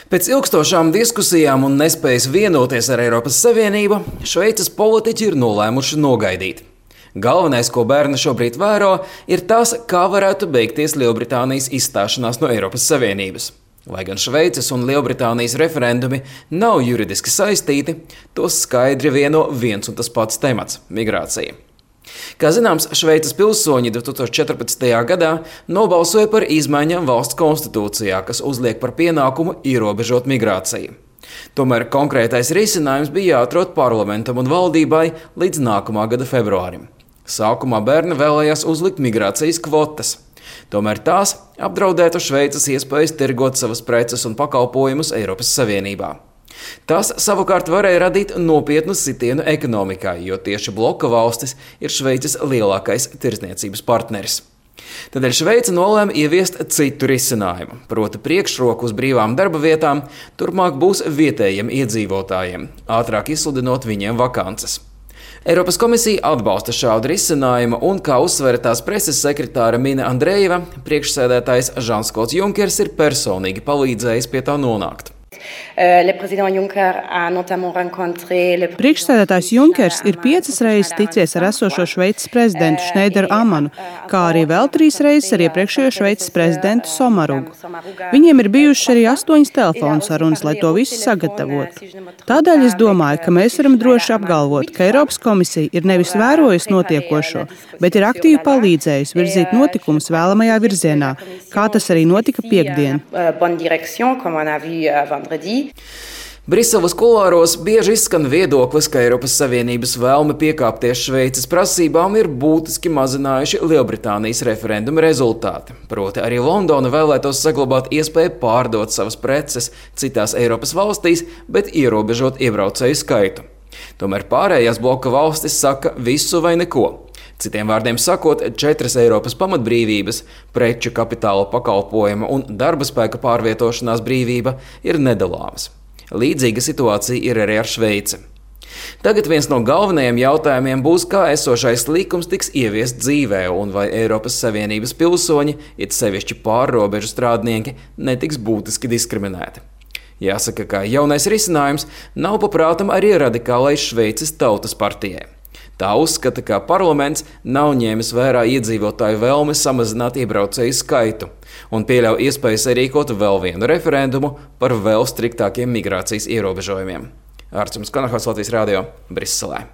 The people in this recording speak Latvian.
Pēc ilgstošām diskusijām un nespējas vienoties ar Eiropas Savienību, Šveices politiķi ir nolēmuši nogaidīt. Galvenais, ko bērni šobrīd vēro, ir tas, kā varētu beigties Lielbritānijas izstāšanās no Eiropas Savienības. Lai gan Šveices un Lielbritānijas referendumi nav juridiski saistīti, tos skaidri vieno viens un tas pats temats – migrācija. Kā zināms, Šveices pilsoņi 2014. gadā nobalsoja par izmaiņām valsts konstitūcijā, kas uzliek par pienākumu ierobežot migrāciju. Tomēr konkrētais risinājums bija jāatrod parlamentam un valdībai līdz nākamā gada februārim. Sākumā bērni vēlējās uzlikt migrācijas kvotas. Tomēr tās apdraudētu Šveices iespējas tirgot savas preces un pakalpojumus Eiropas Savienībā. Tas savukārt varēja radīt nopietnu sitienu ekonomikai, jo tieši bloka valstis ir Šveices lielākais tirdzniecības partneris. Tādēļ Šveice nolēma ieviest citu risinājumu, proti priekšroku uz brīvām darba vietām turpmāk būs vietējiem iedzīvotājiem, ātrāk izsludinot viņiem vakances. Eiropas komisija atbalsta šādu risinājumu un, kā uzsvera tās preses sekretāra Mina Andrejeva, priekšsēdētājs Žans-Klods Junkers ir personīgi palīdzējis pie tā nonākt. Priekšsēdētājs Junkers ir 5 reizes ticies ar esošo Šveices prezidentu Šneideru Amanu, kā arī vēl 3 reizes ar iepriekšējo Šveices prezidentu Somarugu. Viņiem ir bijušas arī 8 telefonu sarunas, lai to visu sagatavotu. Tādēļ es domāju, ka mēs varam droši apgalvot, ka Eiropas komisija ir nevis vērojusi notiekošo, bet ir aktīvi palīdzējusi virzīt notikumus vēlamajā virzienā, kā tas arī notika piektdien. Briseles kulāros bieži izskan viedoklis, ka Eiropas Savienības vēlme piekāpties Šveices prasībām ir būtiski mazinājuši Lielbritānijas referenduma rezultāti. Proti arī Londona vēlētos saglabāt iespēju pārdot savas preces citās Eiropas valstīs, bet ierobežot iebraucēju skaitu. Tomēr pārējās bloka valstis saka visu vai neko. Citiem vārdiem sakot, 4 Eiropas pamatbrīvības – preču, kapitāla, pakalpojuma un darba spēka pārvietošanās brīvība – ir nedalāmas. Līdzīga situācija ir arī ar Šveici. Tagad viens no galvenajiem jautājumiem būs, kā esošais likums tiks ieviests dzīvē un vai Eiropas Savienības pilsoņi, it sevišķi pārrobežu strādnieki, netiks būtiski diskriminēti. Jāsaka, ka jaunais risinājums nav paprātam arī radikālai Šveices tautas partijai. Tā uzskata, ka parlaments nav ņēmis vērā iedzīvotāju vēlmi samazināt iebraucēju skaitu un pieļauj iespēju sarīkot vēl vienu referendumu par vēl striktākiem migrācijas ierobežojumiem. Ārts Konahaus, Latvijas radio, Briselē.